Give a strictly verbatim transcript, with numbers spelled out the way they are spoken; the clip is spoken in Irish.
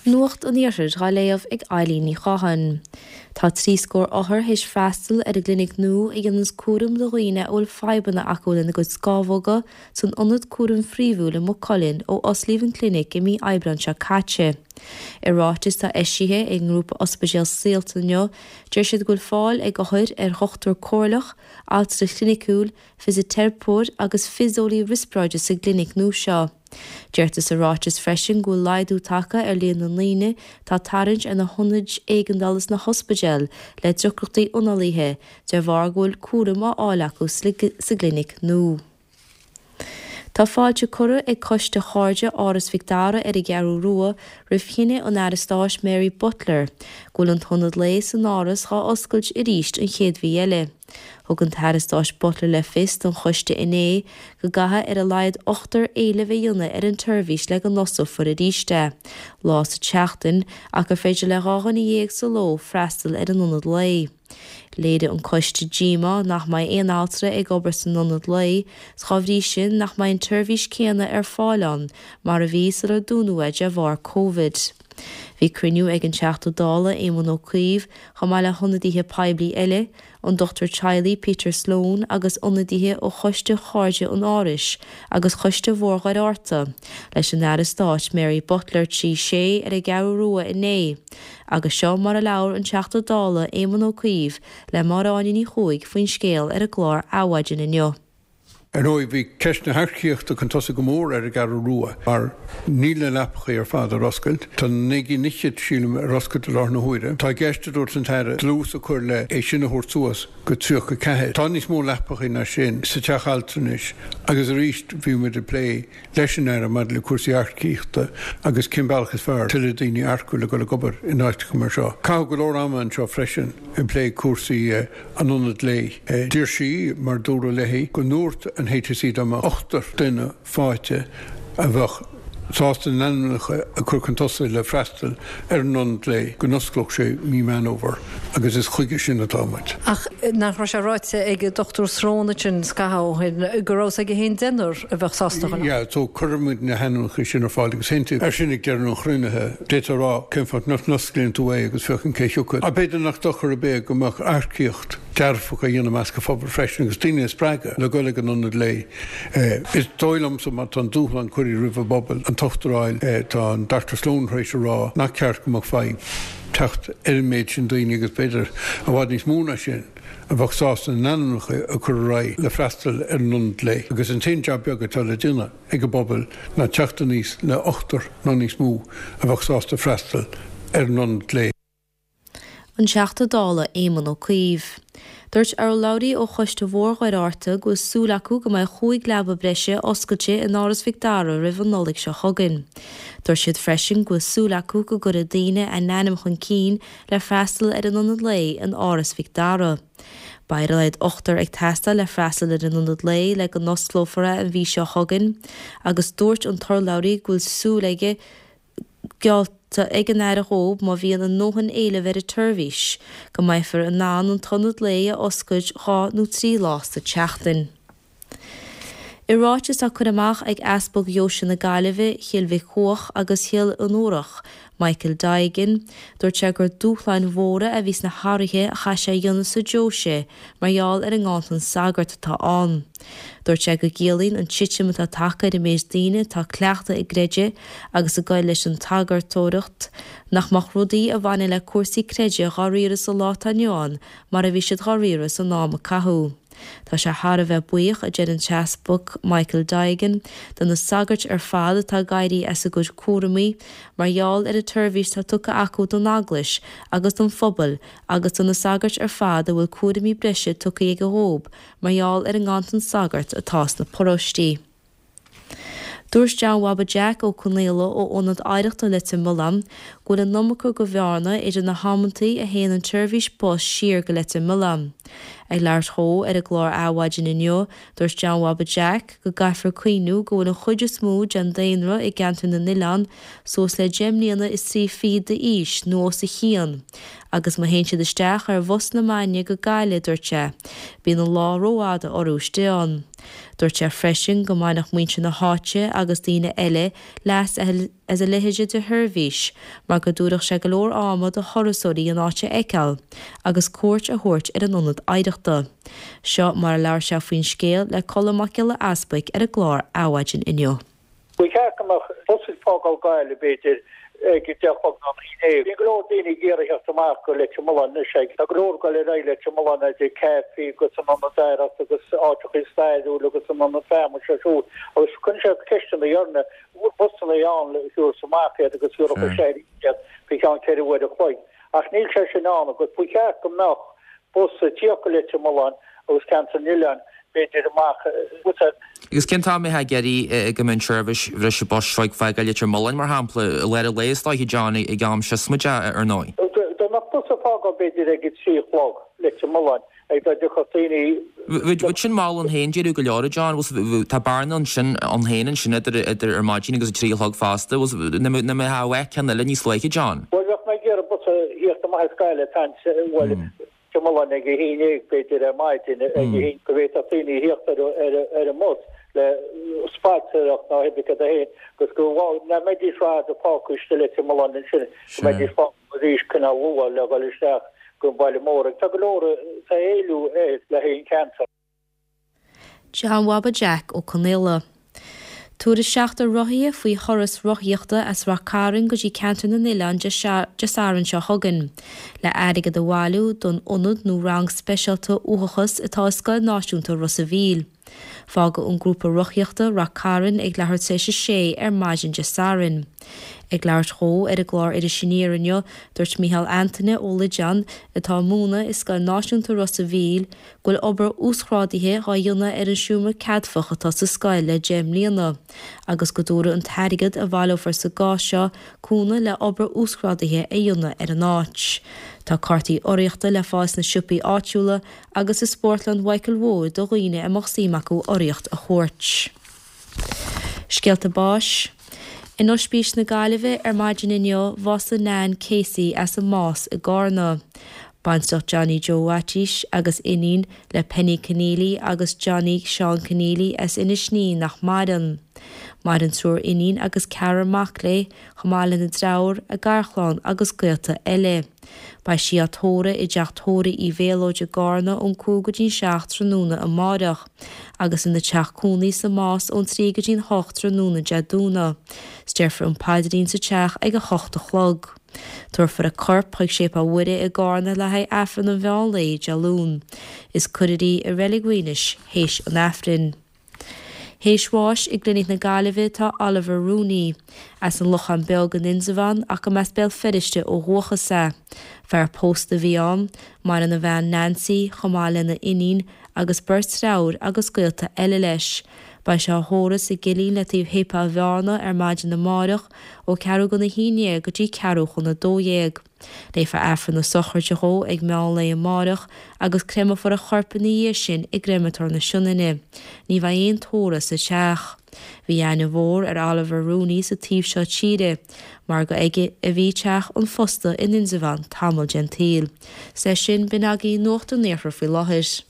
Nuacht an Iarthair á léamh ag Eilín Ní Chatháin. Tá trí scór othar théis freastal ar an gclinic nua a dhéananns cúram do dhaoine a bhfuil fadhbanna acu lena gcuid scamhóga san ionad cúraim phríomhúil i Maigh Cuilinn ó osclaíodh an clinic i mí Aibreáin seo caite. I ráiteas atá eisithe ag an ngrúpa Ospidéal Saolta inniu, deir siad go bhfuil fáil ag othair ar dhochtúir comhairleach, altra cliniciúil, fisiteiripeoir agus fiseolaí riospráide sa gclinic nua seo. Deirtear sa ráiteas freisin go bhfuil laghdú tagtha ar líon na ndaoine atá ag tarraingt ar na hionaid éigeandála sna hospidéil le deacrachtaí análaithe de bharr go bhfuil cúram á fháil acu sa gclinic nua. Tá fáilte curtha ag Coiste Chairde Áras Mhic Dara ar an gCeathrú Rua roimh chinneadh an Aire Stáit Mary Butler go bhfuil an t-ionad lae san Áras dhá oscailt arís an chéad mhí eile. Thug an tAire Stáit Butler le fios don choiste inné go gcaithfidh ar a laghad ochtar éileamh a dhéanamh ar an tseirbhís le go n-osclófar arís é, lá sa tseachtain, ach gur féidir le dhá dhuine dhéag sa ló freastal ar an ionad lae. Léirigh an coiste díomá nach mbeidh aon altra ag obair san ionad lae, 's dá bhrí sin nach mbeidh an tseirbhís céanna ar fáil ann mar a bhí sular dúnadh é de bharr Covid. Bhí cruinniú ag an Teachta Dála Éamon Ó Cuív chomh maith le hionadaithe poiblí eile, an dochtúir teaghlaigh Peter Sloan agus ionadaithe ó Choiste Chairde an Árais agus Choiste Mhór Dhoire Fhatharta, leis an Aire Stáit Mary Butler trí sé ar an gCeathrú Rua inné. Agus seo mar a labhair an Teachta Dála Éamon Ó Cuív le Máire Áine Ní Chuaig faoin scéal ar an gclár Adhmhaidin inniu. Ar ndóigh, bhí ceist na hearcaíochta chun tosaigh go mór ar an gCeathrú Rua mar níl na leapacha ar fad ar oscailt. Tá naoi gcinn fhichead, sílim, ar oscailt i láthair na huaire. Tá i gceist, a dúirt an tAire, dlús a chur le é sin a thabhairt suas go tríocha ceathair. Tá níos mó leapacha ná sin sa teach altranais agus arís bhí muid ag plé leis an Aire maidir le cúrsaí earcaíochta agus cén bealach is fearr tuilleadh daoine a earcú le dul ag obair in áiteacha mar seo. Caitheadh go leor ama anseo freisin ag plé cúrsaí an ionaid lae. D'iarr sí, mar dúradh léi, go ndúirt an HSE dá mbeadh ochtar duine faighte a bheadh sásta a n-ainmneacha a chur chun tosaigh le freastal ar an ionad lae, go n-osclódh sé mí Meán Fhómhair agus is chuige sin atá muid. Ach nach raibh sé ráite ag Dochtúir Sloane ansin scaitheamh ó shin go raibh aige féin deichniúr a bheadh sásta dhul ann? Yeah, so cuirfimid na hainmneacha sin ar fáil agus aontú ar sin ag deireadh an chruinnithe. D'fhéadfá a rá cén fáth nach n-osclaíonn tú é agus féachaint cé thiocfadh. Ach b'fhéidir nach dochar ar bith go mbeadh earcaíocht dearfach á dhéanamh i measc an phobail freisin agus daoine a spreagadh le dul ag an ionad lae. Is dóigh liomsa má tá an dúshlán curtha roimh an bpobal an t-ochtar a fháil, tá an Dochtúir Sloane tar éis a rá nach ceart go mbeadh fadhb teacht ar an méid sin daoine agus b'fhéidir i bhfad níos mó ná sin a bheadh sásta a n-ainmneacha a chur ar aghaidh le freastal ar an ionad lae. Agus an t-aon jab beag atá le déanamh ag an bpobal ná teacht aníos le ochtar nó níos mó a bheadh sásta freastal ar an ionad lae. An Teachta Dála Éamon Ó Cuív. Dúirt urlabhraí ó Choiste Mhór Dhoire Fhatharta go bhfuil súil acu go mbeidh chúig leaba breise oscailte in Áras Mhic Dara roimh an Nollaig seo chugainn. Dúirt siad freisin go bhfuil súil acu go gcuirfidh daoine a n-ainm chun cinn le freastal ar an ionad lae in Áras Mhic Dara. Beidh ar a laghad ochtar ag teastáil le freastal ar an ionad lae le go n-osclófar é an mhí seo chugainn agus dúirt an t-urlabhraí go bhfuil súil aige geallta ag an Aire dhóibh má bhíonn a ndóthain éilimh ar an tseirbhís, go mbeifear in ann an t-ionad lae a oscailt dhá nó trí lá sa tseachtain. I ráiteas á cur amach ag Easpag Dheoise na Gaillimhe, Chill Mhic Cuach agus Chill Fhionnúrach, Michael Digan, dúirt sé gur dúshláin mhóra a bhí sna hathruithe a chaith sé a dhéanamh sa deoise mar gheall ar an nganntan sagart atá ann. Dúirt sé go gciallaíonn an titim atá tagtha ar an méid daoine atá cleachta i gcreideamh agus ag goil leis an tsagartóireacht nach mbeadh rudaí a bhaineann le cúrsaí creidimh dhá riaradh sa lá atá inniu ann mar a bhí siad dhá riaradh san am a caitheadh. Tá sé thar a bheith buíoch, a deir an tEaspag Michael Digan, de na sagairt ar fad atá ag éirí as a gcuid cúraimí mar gheall ar an tseirbhís atá tugtha acu don Eaglais agus don phobal agus do na sagairt ar fad a bhfuil cúraimí breise tugtha aige dhóib mar gheall ar an nganntan sagart atá sna paróistí. Dúirt John Bhaba Jack Ó Conaola ó Ionad Oidhreachta Leitir Mealláin go bhfuil an iomarca go bhearna idir na hamantaí a théann an tseirbhís bus siar go Leitir Mealláin. Ag labhairt dhó ar an gclár Adhmhaidin inniu, dúirt John Bhaba Jack go gcaithfear cuimhniú go bhfuil an chuid is mó den daonra i gceantar na n-oileán suas le deich mbliana is trí fichid d'aois nó os a chionn agus má théann siad isteach ar bhus na Mainge go Gaillimh, dúirt sé, bíonn an lá rófhada orthu istigh ann. Dúirt sé freisin go mbainfeadh muintir na háite agus daoine eile leas as a leithéid de sheirbhís, mar go dtabharfadh sé go leor ama do thurasóirí an áit a fheiceáil agus cuairt a thabhairt ar an ionad oidhreachta. Seo mar a labhair sé faoin scéal le Colm Mac Giolla Easbuic ar an gclár Adhmhaidin inniu. Ba cheart go mbeadh bus ag fágáil Gaillimh b'fhéidir ag a deich a chlog nó a haon déag. Bíonn go leor daoine ag iarraidh theacht amach go Leitir Mealláin anois ag. Tá go leor ag dul ar aghaidh Leitir Mealláin idir caifí agus an ionad oidhreachta agus áiteachaí stairiúil agus an ionad feamainne seo siúd agus cuireann sé ceisteanna orainn an bhfuil busanna ann le thabhairt amach iad agus thabharfadh sé iad faoi cheann ceithre uair a chloig. Ach níl sé sin ann agus ba cheart go mbeadh bus ag tíocht go Leitir Mealláin agus Ceantar na nOileán b'fhéidir amach bus Agus cén t-am a bheifeá ag iarraidh go mbeadh an tseirbhís bhreise bus seo ag fágáil Leitir Mealláin, mar shampla, i lár an lae is dóiche, John, ag am siosmaideach, ar ndóigh? Dá mbeadh bus ag fágáil b'fhéidir ag a trí a chlog Leitir Mealláin, ag dá dtiocfadh daoine. Bheadh sin mall ann féin, déarfá go leor, a John, tá bearna ansin ann féin ansin idir idir ar maidin agus a trí a chlog fosta, nach mbeadh uait ceann eile níos luaithe, John? Bhuel, bheadh mé ag iarraidh bus a thíocht amach as Gaillimh, bhuel, Leitir Mealláin ag a haon déag b'fhéidir ar maidin ag a haon go bhféadfadh daoine a thíocht ar an mbus le spaltaireacht ná hibicad a haon agus go nach mbeidís rad a fágtha istigh Leitir Mealláin ansin go mbeidís fágtha arís cineál luath le dhul isteach go baile mór. Tá go leor tá éileamh air le haghaidh an ceantar. John Bhaba Jack Ó Conaola. Tabharfaidh seachtar rothaithe faoi thuras rothaíochta as Rath Cairn go dtí Ceantar na nOileán Dé Sathairn seo chugainn, le airgead a bhailiú don ionad nó rang speisialta uathachais atá i Scoil Náisiúnta Ros a' Mhíl. Fágfaidh an grúpa rothaíochta Rath Cairn ag leathuair tar éis a sé ar maidin Dé Sathairn. Ag labhairt dhó ar an gclár Iris Aniar inniu, dúirt Micheál Antaine Ó Loideáin, atá ag múineadh i Scoil Náisiúnta Ros a' Mhíl, go bhfuil obair uasghrádaithe dhá dhéanamh ar an seomra ceadmhach atá sa scoil le deich mbliana agus go dtabharfaidh an t-airgead a bhaileofar sa gcás seo cúnamh le obair uasghrádaithe a dhéanamh ar an áit. Tá cártaí urraíochta le fáil sna siopaí áitiúla agus i Spórtlann Mhichael Mhóir do dhaoine a mbeadh suim acu urraíocht a thabhairt. Scéalta báis. In Oispís na Gaillimhe ar maidin inniu, bhásaigh Nan Casey as an Más i gCarna. Baintreach Johnny Joe Mhaitiais agus iníon le Penny Keneally agus Johnny Seán Keneally as Inis Ní nach maireann. Maireann triúr iníon agus ceathrar mac léi, chomh maith lena deartháir, a garchlann agus gaolta eile. Beidh sí á tórramh i dteach tórraimh Uí Mhéalóid i gCarna ón cúig go dtí'n seacht tráthnóna amáireach, agus ina teach cónaí sa Más ón trí go dtí'n hocht tráthnóna Dé Domhnaigh. 'S déarfar an paidrín sa teach ag a hocht a chlog. Tabharfar a corp chuig Séipéal Mhuire i gCarna le haghaidh Aifreann an mheán lae Dé Luain. Is cuirfear í i Reilig Mhaínis théis an Aifrinn. Théis bháis i gClinic na Gaillimhe tá Oliver Rooney, as an Lochán Beag in Indreabhán ach go mb'as Béal Feirste ó dhúchas é. Fear pósta a bhí ann, maireann a bhean Nancy chomh maith lena iníon agus beirt deartháir agus gaolta eile leis. Beidh sé á thórramh sa gCillín le taobh Shéipéal Bhearna ar maidin amárach ó ceathrú chun a haon dhéag go dtí ceathrú chun a dó dhéag. Léifear Aifreann na sochraide dhó ag meán lae amárach agus créamfar a chorp ina dhiaidh sin i gCreamatóir na Sionainne. Ní bheidh aon tórramh sa teach. Bhí aithne mhór ar Oliver Rooney sa taobh seo tíre, mar gur aige a bhí teach an phosta in Indreabhán tamall den tsaol. 'S leis sin, b'in agaibh Nuacht an Iarthair faoi láthair.